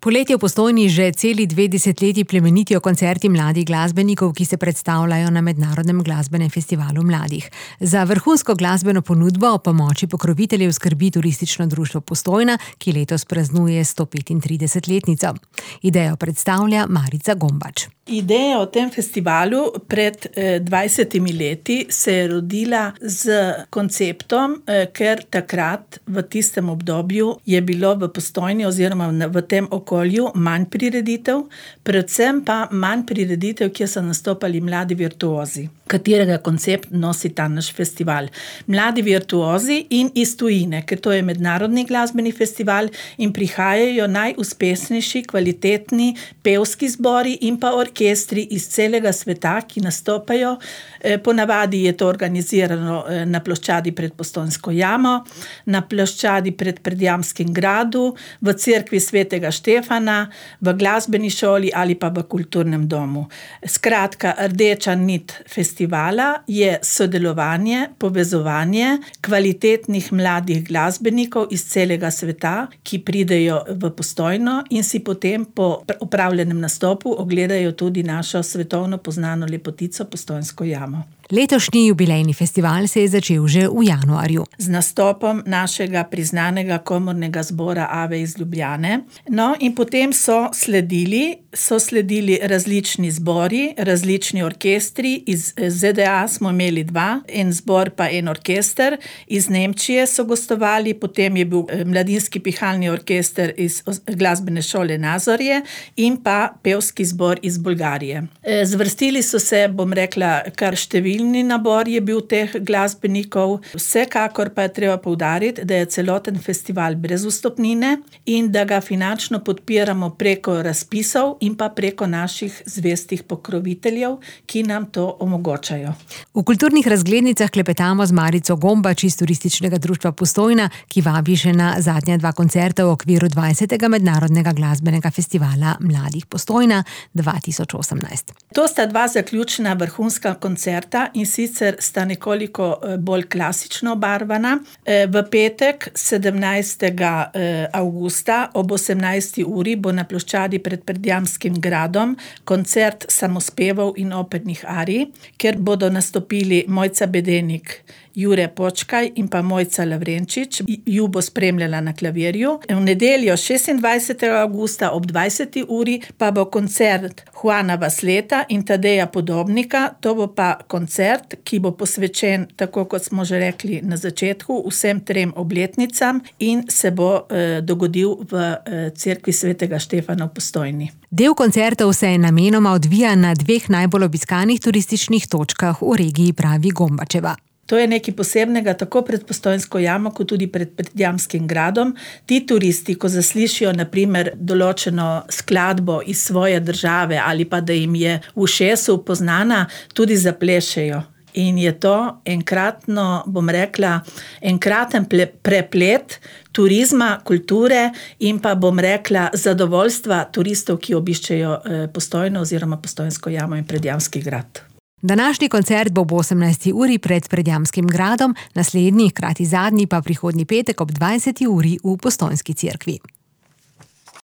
Poletje v Postojni že celi 2 desetletji plemenitijo koncerti mladih glasbenikov, ki se predstavljajo na Mednarodnem glasbenem festivalu mladih. Za vrhunsko glasbeno ponudbo ob pomoči pokroviteljev skrbi Turistično društvo Postojna, ki letos praznuje 135-letnico. Idejo predstavlja Marica Gombač. Ideja o tem festivalu pred 20 leti se je rodila z konceptom, ker takrat v tistem obdobju je bilo v Postojni oziroma v tem okolju manj prireditev, predvsem pa manj prireditev, kjer so nastopali mladi virtuozi, katerega koncept nosi ta naš festival. Mladi virtuozi in iz tujine, ker to je mednarodni glasbeni festival in prihajajo najuspešnejši, kvalitetni pevski zbori in pa orkestri iz celega sveta, ki nastopajo. Ponavadi je to organizirano na ploščadi pred Postojnsko jamo, na ploščadi pred Predjamskim gradu, v cerkvi Svetega Štefana, v glasbeni šoli ali pa v kulturnem domu. Skratka, rdeča nit festivala je sodelovanje, povezovanje kvalitetnih mladih glasbenikov iz celega sveta, ki pridejo v Postojno in si potem po opravljenem nastopu ogledajo tudi našo svetovno poznano lepotico Postojnsko jamo. Letošnji jubilejni festival se je začel že v januarju. Z nastopom našega priznanega komornega zbora Ave iz Ljubljane. No, in potem so sledili različni zbori, različni orkestri. Iz ZDA smo imeli 2, en zbor pa en orkester. Iz Nemčije so gostovali, potem je bil mladinski pihalni orkester iz glasbene šole Nazorje in pa pevski zbor iz Bolgarije. Zvrstili so se, bom rekla, kar številni nabor je bil teh glasbenikov. Vsekakor pa je treba poudariti, da je celoten festival brez vstopnine in da ga finančno podpiramo preko razpisov in pa preko naših zvestih pokroviteljev, ki nam to omogočajo. V kulturnih razglednicah klepetamo z Marico Gombač iz Turističnega društva Postojna, ki vabi še na zadnja 2 koncerta v okviru 20. Mednarodnega glasbenega festivala mladih Postojna 2018. To sta 2 zaključna vrhunska koncerta in sicer sta nekoliko bolj klasično obarvana. V petek 17. avgusta ob 18. uri bo na ploščadi pred Predjamskim gradom koncert samospevov in opernih arij, kjer bodo nastopili Mojca Bedenik, Jure Počkaj in pa Mojca Lavrenčič. Ju bo spremljala na klavirju. V nedeljo 26. avgusta ob 20. uri pa bo koncert Juana Vasleta in Tadeja Podobnika. To bo pa koncert, ki bo posvečen, tako kot smo že rekli na začetku, vsem 3 obletnicam in se bo dogodil v cerkvi Svetega Štefana v Postojni. Del koncertov se namenoma odvija na 2 najbolj obiskanih turističnih točkah v regiji, pravi Gombačeva. To je nekaj posebnega tako pred Postojnsko jamo, kot tudi pred Predjamskim gradom. Ti turisti, ko zaslišijo na primer določeno skladbo iz svoje države ali pa da jim je v ušesu poznana, tudi zaplešejo. In je to enkraten preplet turizma, kulture in pa zadovoljstva turistov, ki obiščejo Postojno oziroma Postojnsko jamo in Predjamski grad. Današnji koncert bo ob 18. uri pred Predjamskim gradom, naslednji, hkrati zadnji pa prihodnji petek ob 20. uri v Postojnski cerkvi.